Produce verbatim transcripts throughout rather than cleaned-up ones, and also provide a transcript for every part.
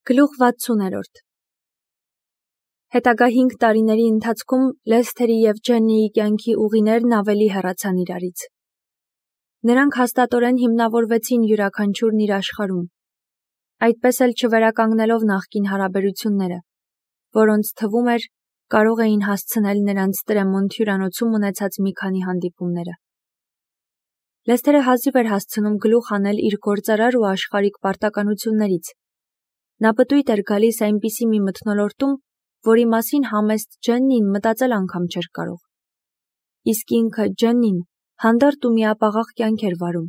Գլուխ վաթսուներորդ Հետագա հինգ տարիների ընթացքում Լեսթերի և Ջեննիի կյանքի ուղիներն ավելի հեռացան իրարից։ Նրանք հաստատորեն հիմնավորվեցին յուրաքանչյուրն իր աշխարհում, այդպես էլ չվերականգնելով նախկին հարաբերությունները, որոնց թվում էր կարող էին հասցնել նրանց Տրեմոնտ հյուրանոցում ունեցած մի քանի հանդիպումները։ Լեսթերը հազիվ էր հասցնում գլուխ անել իր գործարար ու աշխարհիկ պարտականություններից։ Նա պտույտ էր գալիս այնպիսի մի մթնոլորտում, որի մասին համեստ Ջեննին մտածել անգամ չէր կարող։ Իսկ ինքը Ջեննին հանդարտ ու միապաղաղ կյանք էր վարում։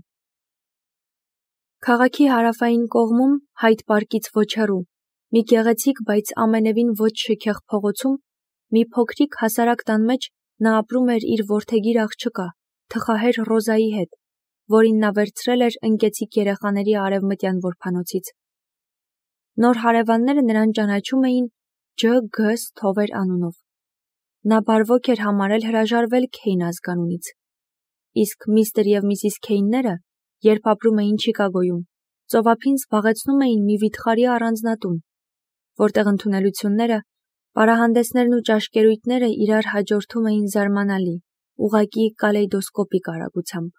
Քաղաքի հարավային կողմում, Հայդ պարկից ոչ հեռու, մի գեղեցիկ, բայց ամենևին ոչ շքեղ փողոցում, մի փոքրիկ հասարակ տան մեջ նա ապրում էր իր որդեգիր աղջկա, թխահեր Ռոզայի հետ, որին նա վերցրել էր ընկեցիկ երեխաների արևմտյան որբանոցից։ Նոր հարևանները նրան ճանաչում էին Ջ Գ Սթովեր անունով։ Նա բարվոք էր համարել հրաժարվել Քեյն ազգանունից։ Իսկ միստր և միսիս Քեյնները, երբ ապրում էին Չիկագոյում, ծովափին զբաղեցնում էին մի վիթխարի առանձնատուն, որտեղ ընդունելությունները, պարահանդեսներն ու ճաշկերույթները իրար հաջորդում էին զարմանալի, ուղղակի կալեյդոսկոպիկ արագությամբ։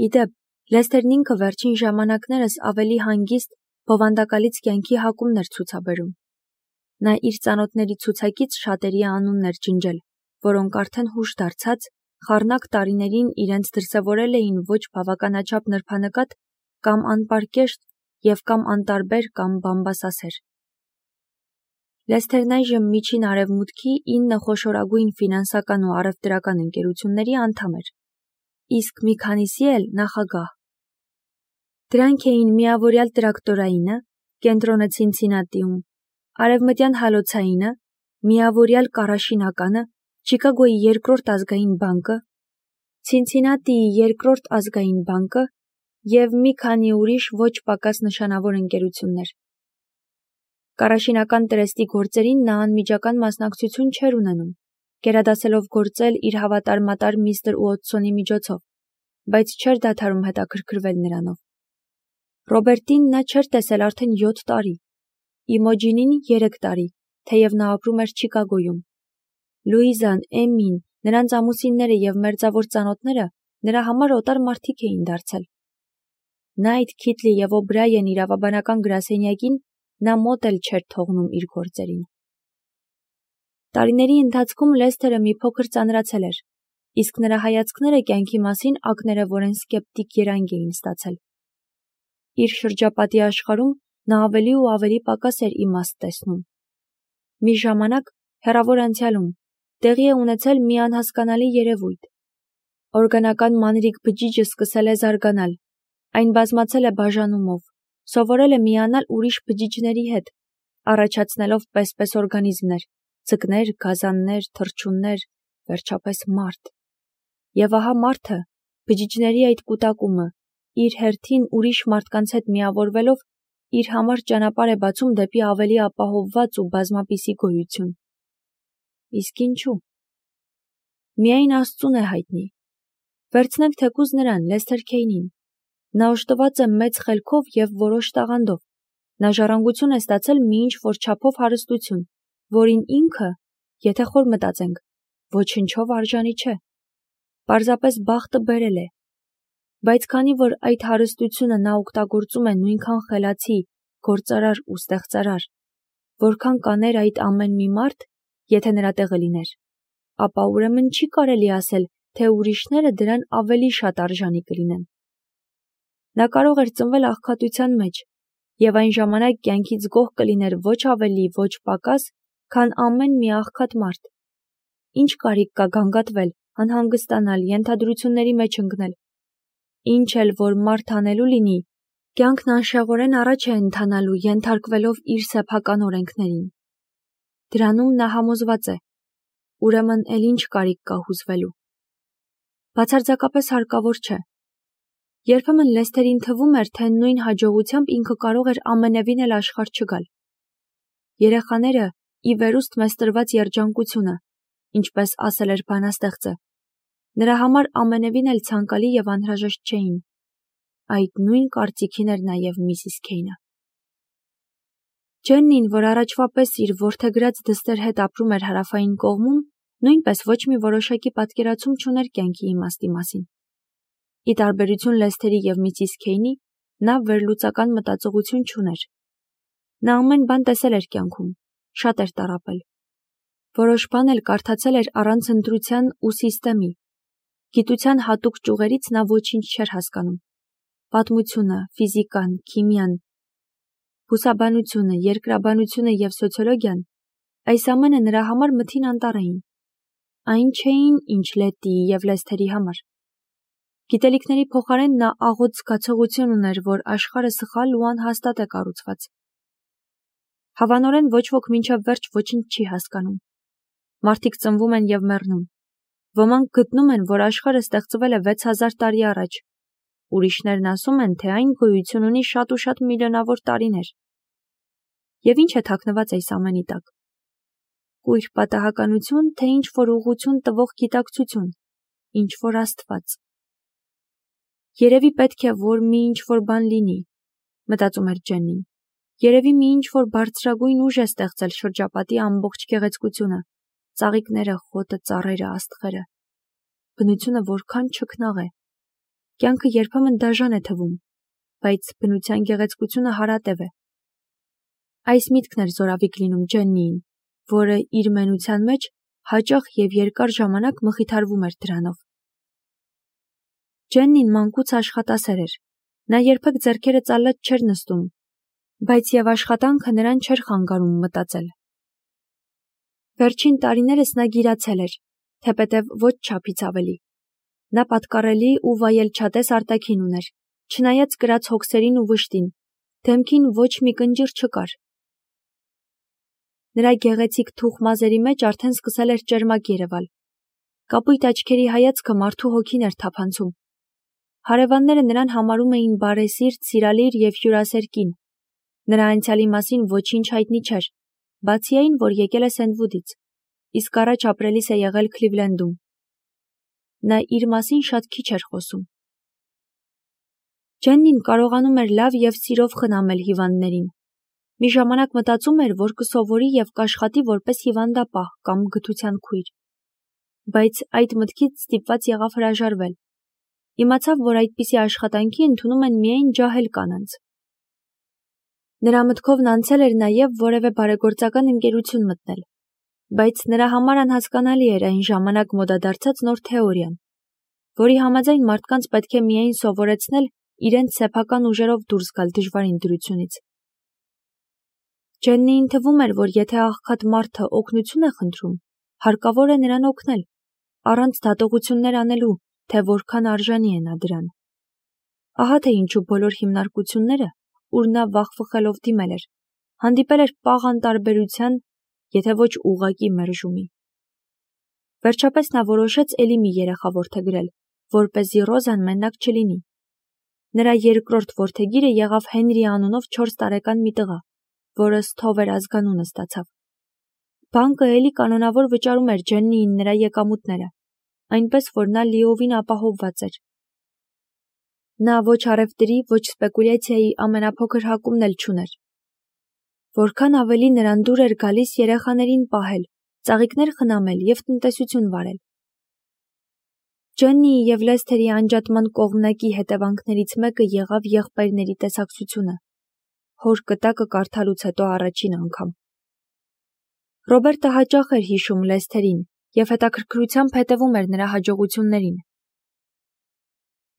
Ի դեպ, Լեսթերն ինքը վերջին ժամանակներս ավելի հանգիստ, բովանդակալից կյանքի հակումն էր ցուցաբերում։ Նա իր ծանոթների ցուցակից շատերի անունն էր ջնջել, որոնք արդեն հուշ դարձած, խառնակ տարիներին իրենց դրսևորել էին ոչ բավականաչափ նրբանկատ կամ անպարկեշտ և կամ անտարբեր կամ բամբասասեր։ Լեսթերն այժմ Միջին Արևմուտքի ինը խոշորագույն ֆինանսական ու առևտրական ընկերությունների անդամ էր, իսկ մի քանիսի էլ նախագահ։ Դրանք էին միավորյալ տրակտորայինը, կենտրոնը Ցինցինատիում, արևմտյան հալոցայինը, միավորյալ կառաշինականը, Չիկագոյի երկրորդ ազգային բանկը, Ցինցինատիի երկրորդ ազգային բանկը և մի քանի ուրիշ ոչ պակաս նշանավոր ընկերություններ։ Կառաշինական տրեստի գործերին նա անմիջական մասնակցություն չէր ունենում, գերադասելով գործել իր հավատարմատար միստր Ուոտսոնի միջոցով, բայց չէր դադարում հետաքրքրվել նրանով։ Ռոբերտին նա չէր տեսել արդեն յոթ տարի, Իմոջինին երեք տարի, թեև նա ապրում էր Չիկագոյում։ Լուիզան, Էմին, նրանց ամուսինները և մերձավոր ծանոթները նրա համար օտար մարդիկ էին դարձել։ Նայթ, Քիթլի և Օբրայեն իրավաբանական գրասենյակին նա մոտ էլ չէր թողնում իր գործերին։ Տարիների ընթացքում Լեսթերը մի փոքր ծանրացել էր, իսկ նրա հայացքները կյանքի մասին ակներևորեն սկեպտիկ երանգ էին ստացել։ Իր շրջապատի աշխարհում նա ավելի ու ավելի պակաս էր իմաստ տեսնում։ Մի ժամանակ, հեռավոր անցյալում, տեղի է ունեցել մի անհասկանալի երևույթ։ Օրգանական մանրիկ բջիջը սկսել է զարգանալ, այն բազմացել է բաժանումով, սովորել է միանալ ուրիշ բջիջների հետ, առաջացնելով պես-պես օրգանիզմներ, ձկներ, գազաններ, թռչուններ, վերջապես մարդ։ Եվ ահա մարդը, բջիջների այդ կուտակումը, իր հերթին ուրիշ մարդկանց հետ միավորվելով, իր համար ճանապարհ է բացում դեպի ավելի ապահովված ու բազմապիսի գոյություն։ Իսկ ինչու՞։ Միայն Աստծուն է հայտնի։ Վերցնենք թեկուզ նրան, Լեսթեր Քեյնին։ Նա օժտված է մեծ խելքով և որոշ տաղանդով։ Նա ժառանգություն է ստացել մի ինչ-որ չափով հարստություն, որին ինքը, եթե խոր մտածենք, ոչնչով արժանի չէ։ Պարզապես բախտը բերել է։ Բայց քանի որ այդ հարստությունը նա օգտագործում է նույնքան խելացի, գործարար ու ստեղծարար, որքան կաներ այդ ամեն մի մարդ, եթե նրա տեղը լիներ, ապա ուրեմն չի կարելի ասել, թե ուրիշները դրան ավելի շատ արժանի կլինեն։ Նա կարող էր ծնվել աղքատության մեջ և այն ժամանակ կյանքից գոհ կլիներ ոչ ավելի, ոչ պակաս, քան ամեն մի աղքատ մարդ։ Ինչ կարիք կա գանգատվել, անհանգստանալ, ենթադրությունների մեջ ընկնել։ Ինչ էլ որ մարդ անելու լինի, կյանքն անշեղորեն առաջ է ընթանալու, ենթարկվելով իր սեփական օրենքներին։ Դրանում նա համոզված է, ուրեմն էլ ինչ կարիք կա հուզվելու։ Բացարձակապես հարկավոր չէ։ Երբեմն Լեսթերին թվում էր, թե նույն հաջողությամբ ինքը կարող էր ամենևին էլ աշխարհ չգալ։ Երեխաները ի վերուստ մեզ տրված երջանկությունը, ինչպես ասել էր բանաստեղծը, նրա համար ամենևին էլ ցանկալի և անհրաժեշտ չէին։ Այդ նույն կարծիքին էր նաև միսիս Քեյնը։ Ջեննին, որ առաջվա պես իր որդեգրած դստեր հետ ապրում էր հարավային կողմում, նույնպես ոչ մի որոշակի պատկերացում չուներ կյանքի իմաստի մասին։ Ի տարբերություն Լեսթերի և միսիս Քեյնի, նա վերլուծական մտածողություն չուներ։ Նա ամեն բան տեսել էր կյանքում, շատ էր տառապել։ Որոշ բան էլ կարդացել էր առանց ընտրության ու սիստեմի։ Գիտության հատուկ ճյուղերից նա ոչինչ չէր հասկանում։ Պատմությունը, ֆիզիկան, քիմիան, բուսաբանությունը, երկրաբանությունը և սոցիոլոգիան, այս ամենը նրա համար մթին անտառ էին։ Այն չէին, ինչ Լետիի և Լեսթերի համար։ Գիտելիքների փոխարեն նա աղոտ զգացողություն ուներ, որ աշխարհը սխալ ու անհաստատ է կառուցված։ Հավանորեն ոչ ոք մինչև վերջ ոչինչ չի հասկանում։ Մարդիկ ծնվում են և մեռնում։ Ոմանք գտնում են, որ աշխարհը ստեղծվել է վեց հազար տարի առաջ։ Ուրիշներն ասում են, թե այն գոյություն ունի շատ ու շատ միլիոնավոր տարիներ։ Եվ ինչ է թաքնված այս ամենի տակ։ Կույր պատահականություն, թե ինչ-որ ուղղություն տվող գիտակցություն, ինչ-որ Աստված։ Երևի պետք է, որ մի ինչ-որ բան լինի, մտածում էր Ջեննին։ Երևի մի ինչ-որ բարձրագույն ուժ է ստեղծել շրջապատի ամբողջ գեղեցկությունը, ծաղիկները, խոտը, ծառերը, աստղերը։ Բնությունը որքան չքնաղ է։ Կյանքը երբեմն դաժան է թվում, բայց բնության գեղեցկությունը հարատև է։ Այս միտքն էր զորավիք լինում Ջեննիին, որը իր մենության մեջ հաճախ և երկար ժամանակ մխիթարվում էր դրանով։ Ջեննին մանկուց աշխատասեր էր։ Նա երբեք ձեռքերը ծալած չէր նստում, բայց և աշխատանքը նրան չէր խանգարում մտածել։ Վերջին տարիներս նա գիրացել էր, թեպետև ոչ չափից ավելի։ Նա պատկառելի ու վայելչատես արտաքին ուներ, չնայած կրած հոգսերին ու վշտին, դեմքին ոչ մի կնճիռ չկար։ Նրա գեղեցիկ թուխ մազերի մեջ արդեն սկսել էր ճերմակ երևալ։ Կապույտ աչքերի հայացքը մարդու հոգին էր թափանցում։ Հարևանները նրան համարում էին բարեսիրտ, սիրալիր և հյուրասեր կին։ Նրա անցյալի մասին ոչինչ հայտնի չէր, բացի այն, որ եկել է Սենտվուդից, իսկ առաջ ապրելիս է եղել Քլիվլենդում։ Նա իր մասին շատ քիչ էր խոսում։ Ջեննին կարողանում էր լավ և սիրով խնամել հիվանդներին։ Մի ժամանակ մտածում էր, որ կսովորի և կաշխատի որպես հիվանդապահ կամ գթության քույր։ Բայց այդ մտքից ստիպված եղավ հրաժարվել։ Իմացավ, որ այդպիսի աշխատանքի ընդունում են միայն ջահել կանանց։ Նրա մտքովն անցել էր նաև որևէ բարեգործական ընկերություն մտնել, բայց նրա համար անհասկանալի էր այն ժամանակ մոդադարձած նոր թեորիան, որի համաձայն մարդկանց պետք է միայն սովորեցնել իրենց սեփական ուժերով դուրս գալ դժվարին դրությունից։ Ջեննիին թվում էր, որ եթե աղքատ մարդը օգնություն է խնդրում, հարկավոր է նրան օգնել, առանց դատողություններ անելու, թե որքան արժանի է նա դրան։ Ահա թե ինչու բոլոր հիմնարկությունները, ուր նա վախվխելով դիմել էր, հանդիպել էր պաղ անտարբերության, եթե ոչ ուղղակի մերժումի։ Վերջապես նա որոշեց էլի մի երեխա որդեգրել, որպեսզի Ռոզան մենակ չլինի։ Նրա երկրորդ որդեգիրը եղավ Հենրի անունով չորս տարեկան մի տղա, որը Սթովեր ազգանունը ստացավ։ Բանկը էլի կանոնավոր վճարում էր Ջեննիին նրա եկամուտները, այնպես որ նա լիովին ապահովված էր։ Նա ոչ առևտրի, ոչ սպեկուլյացիայի ամենափոքր հակումն էլ չուներ։ Որքան ավելի նրան դուր էր գալիս երեխաներին պահել, ծաղիկներ խնամել և տնտեսություն վարել։ Ջեննիի և Լեսթերի անջատման կողմնակի հետևանքներից մեկը եղավ եղբայրների տեսակցությունը, հոր կտակը կարդալուց հետո առաջին անգամ։ Ռոբերտը հաճախ էր հիշում Լեսթերին և հետաքրքրությամբ հետևում էր նրա հաջողություններին։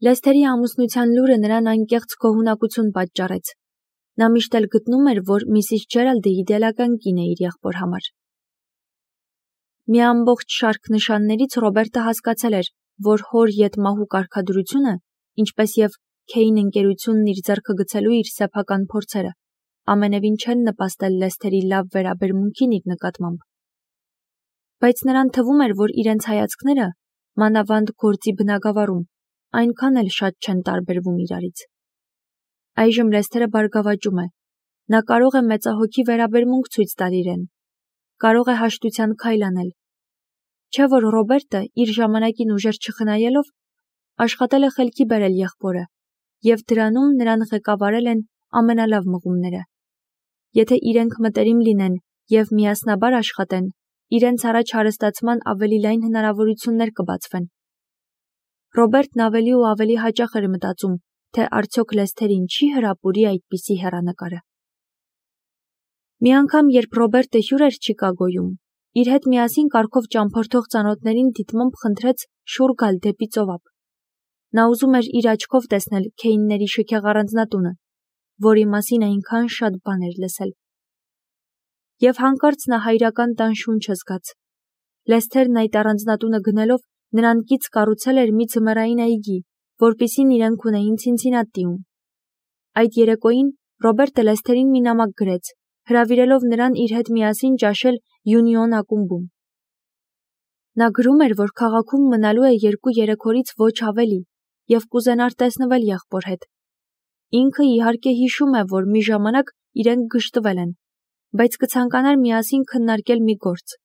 Լեսթերի ամուսնության լուրը նրան անկեղծ գոհունակություն պատճառեց։ Նա միշտ էլ գտնում էր, որ միսիս Ջերալդը իդեալական կին է իր եղբոր համար։ Մի ամբողջ շարք նշաններից Ռոբերտը հասկացել էր, որ հոր ետմահու կարգադրությունը, ինչպես և Քեյն ընկերությունն իր ձեռքը գցելու իր սեփական փորձերը, ամենևին չեն նպաստել Լեսթերի լավ վերաբերմունքին իր նկատմամբ։ Բայց նրան թվում էր, որ իրենց հայացքները, մանավանդ գործի բնագավառում, այնքան էլ շատ չեն տարբերվում իրարից։ Այժմ Լեսթերը բարգավաճում է։ Նա կարող է մեծահոգի վերաբերմունք ցույց տալ իրեն։ Կարող է հաշտության քայլ անել։ Չէ՞ որ Ռոբերտը, իր ժամանակին ուժեր չխնայելով, աշխատել է խելքի բերել եղբորը, և դրանում նրան ղեկավարել են ամենալավ մղումները։ եթե իրենք մտերիմ լինեն և միասնաբար աշխատեն, իրենց առաջ հարստացման ավելի լայն հնարավորություններ կբացվեն։ Ռոբերտն ավելի ու ավելի հաճախ էր մտածում, թե արդյոք Լեսթերին չի հրապուրի այդպիսի հեռանկարը։ Մի անգամ, երբ Ռոբերտը հյուր էր Չիկագոյում, իր հետ միասին կառքով ճամփորդող ծանոթներին դիտմամբ խնդրեց շուռ գալ դեպի ծովափ։ Նա ուզում էր իր աչքով տեսնել Քեյնների շքեղ առանձնատունը, որի մասին այնքան շատ բան էր լսել։ Եվ հանկարծ նա հայրական տան շունչը զգաց։ Լեսթերն այդ առանձնատունը գնելով նրան կից կառուցել էր մի ձմեռային այգի, որպիսին իրենք ունեին Ցինցինատիում։ Այդ երեկոյին Ռոբերտը Լեսթերին մի նամակ գրեց, հրավիրելով նրան իր հետ միասին ճաշել Յունիոն ակումբում։ Նա գրում էր, որ քաղաքում մնալու է երկու երեք օրից ոչ ավելի և կուզենար տեսնվել եղբոր հետ։ Ինքը իհարկե հիշում է, որ մի ժամանակ իրենք գժտվել են, բայց կցանկանար միասին քննարկել մի գործ։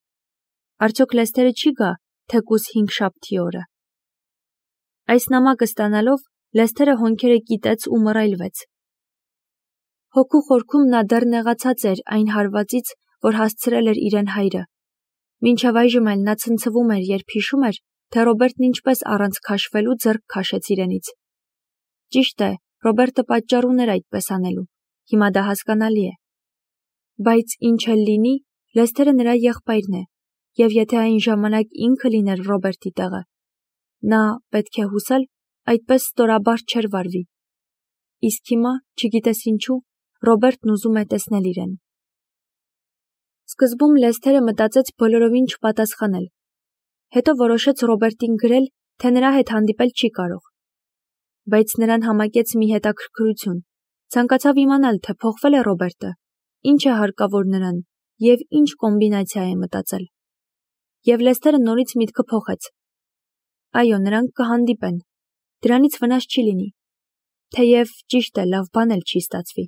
Արդյոք Լեսթերը չի գա, թեկուզ հինգշաբթի օրը։ Այս նամակը ստանալով Լեսթերը հոնքերը կիտեց ու մռայլվեց։ Հոգու խորքում նա դեռ նեղացած էր այն հարվածից, որ հասցրել էր իրեն հայրը։ Մինչև այժմ էլ նա ցնցվում էր, երբ հիշում էր, թե Ռոբերտն ինչպես առանց քաշվելու ձեռք քաշեց իրենից։ Ճիշտ է, Ռոբերտը պատճառ ուներ այդպես անելու, հիմա դա հասկանալի է։ Բայց ինչ էլ լինի, Լեսթերը նրա եղբայրն է, և եթե այն ժամանակ ինքը լիներ Ռոբերտի տեղը, նա, պետք է հուսալ, այդպես ստորաբար չէր վարվի։ Իսկ հիմա, չգիտես ինչու, Ռոբերտն ուզում է տեսնել իրեն։ Սկզբում Լեսթերը մտածեց բոլորովին չպատասխանել։ Հետո որոշեց Ռոբերտին գրել, թե նրա հետ հանդիպել չի կարող։ Բայց նրան համակեց մի հետաքրքրություն։ Ցանկացավ իմանալ, թե փոխվել է Ռոբերտը, ինչ է հարկավոր նրան և ինչ կոմբինացիա է մտածել։ Եվ Լեսթերը նորից միտքը փոխեց։ Այո, նրանք կհանդիպեն։ Դրանից վնաս չի լինի։ Թեև ճիշտ է, լավ բան էլ չի ստացվի։